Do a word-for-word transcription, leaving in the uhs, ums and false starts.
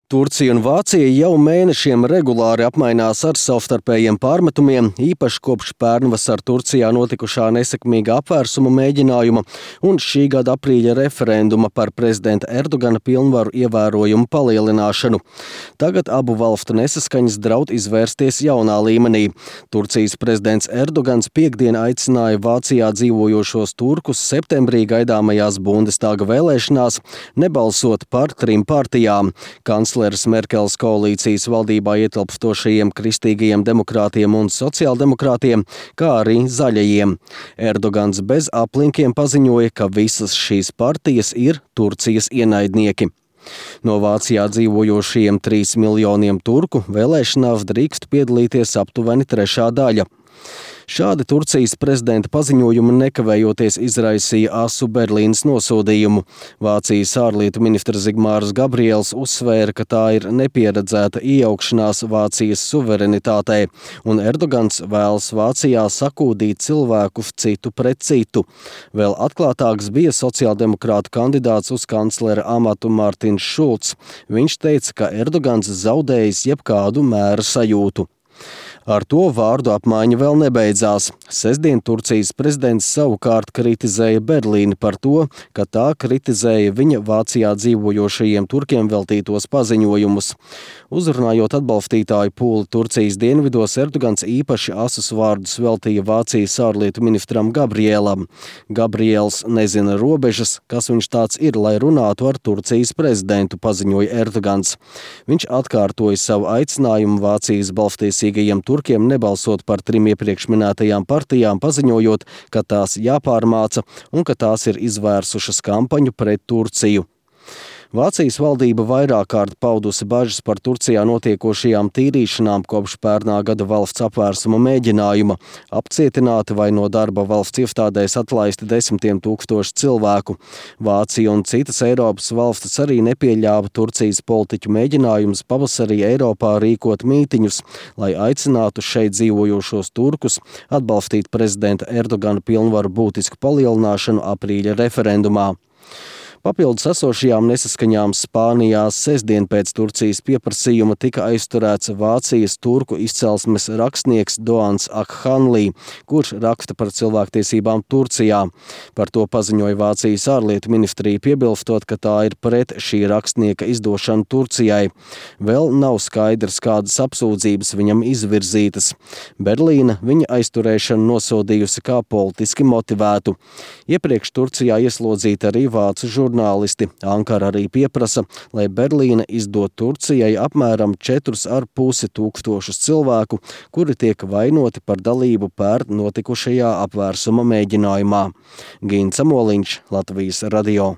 Turcija un Vācija jau mēnešiem regulāri apmainās ar savstarpējiem pārmetumiem, īpaši kopš pērnvasar Turcijā notikušā nesekmīga apvērsuma mēģinājuma un šī gada aprīļa referenduma par prezidenta Erdogana pilnvaru ievērojumu palielināšanu. Tagad abu valstu nesaskaņas draud izvērsties jaunā līmenī. Turcijas prezidents Erdogans piekdien aicināja Vācijā dzīvojošos turkus septembrī gaidāmajās Bundestāga vēlēšanās nebalsot par trim partijām. Kancleres Merkeles koalīcijas valdībā ietilpstošajiem kristīgajiem demokrātiem un sociāldemokrātiem, kā arī zaļajiem. Erdogans bez aplinkiem paziņoja, ka visas šīs partijas ir Turcijas ienaidnieki. No Vācijā dzīvojošajiem trīs miljoniem turku vēlēšanās drīkst piedalīties aptuveni trešā daļa. Šādi Turcijas prezidenta paziņojumi nekavējoties izraisīja asu Berlīnes nosodījumu. Vācijas ārlietu ministrs Zigmārs Gabriels uzsvēra, ka tā ir nepieredzēta iejaukšanās Vācijas suverenitātei, un Erdogans vēlas Vācijā sakūdīt cilvēkus citu pret citu. Vēl atklātāks bija sociāldemokrātu kandidāts uz kanclera amatu Mārtiņš Šulcs. Viņš teica, ka Erdogans zaudējis jebkādu mēra sajūtu. Ar to vārdu apmaiņa vēl nebeidzās. Sestdien Turcijas prezidents savukārt kritizēja Berlīni par to, ka tā kritizēja viņa Vācijā dzīvojošajiem turkiem veltītos paziņojumus. Uzrunājot atbalstītāju pūli Turcijas dienvidos, Erdogans īpaši asus vārdus veltīja Vācijas ārlietu ministram Gabrielam. Gabriels nezina robežas, kas viņš tāds ir, lai runātu ar Turcijas prezidentu, paziņoja Erdogans. Viņš atkārtoja savu aicinājumu Vācijas balstiesīgajiem turkiem nebalsot par trim iepriekš minētajām partijām, paziņojot, ka tās jāpārmāca un ka tās ir izvērsušas kampaņu pret Turciju. Vācijas valdība vairāk kārt paudusi bažas par Turcijā notiekošajām tīrīšanām kopš pērnā gada valsts apvērsuma mēģinājuma. Apcietināti vai no darba valsts iestādēs atlaisti desmitiem tūkstoši cilvēku. Vācija un citas Eiropas valstis arī nepieļāva Turcijas politiķu mēģinājumus pavasarī Eiropā rīkot mītiņus, lai aicinātu šeit dzīvojošos turkus atbalstīt prezidenta Erdogana pilnvaru būtisku palielināšanu aprīļa referendumā. Papildus esošajām nesaskaņām Spānijā sestdien pēc Turcijas pieprasījuma tika aizturēts Vācijas turku izcelsmes rakstnieks Doğans Akhanlī, kurš raksta par cilvēktiesībām Turcijā. Par to paziņoja Vācijas ārlietu ministrija, piebilstot, ka tā ir pret šī rakstnieka izdošanu Turcijai. Vēl nav skaidrs, kādas apsūdzības viņam izvirzītas. Berlīna viņa aizturēšanu nosodījusi kā politiski motivētu. Iepriekš Turcijā ieslodzīta arī vācu žurnālisti. Žurnālisti. Ankara arī pieprasa, lai Berlīne izdod Turcijai apmēram četrus ar pusi tūkstošus cilvēku, kuri tiek vainoti par dalību pērn notikušajā apvērsuma mēģinājumā. Gins Amoliņš, Latvijas radio.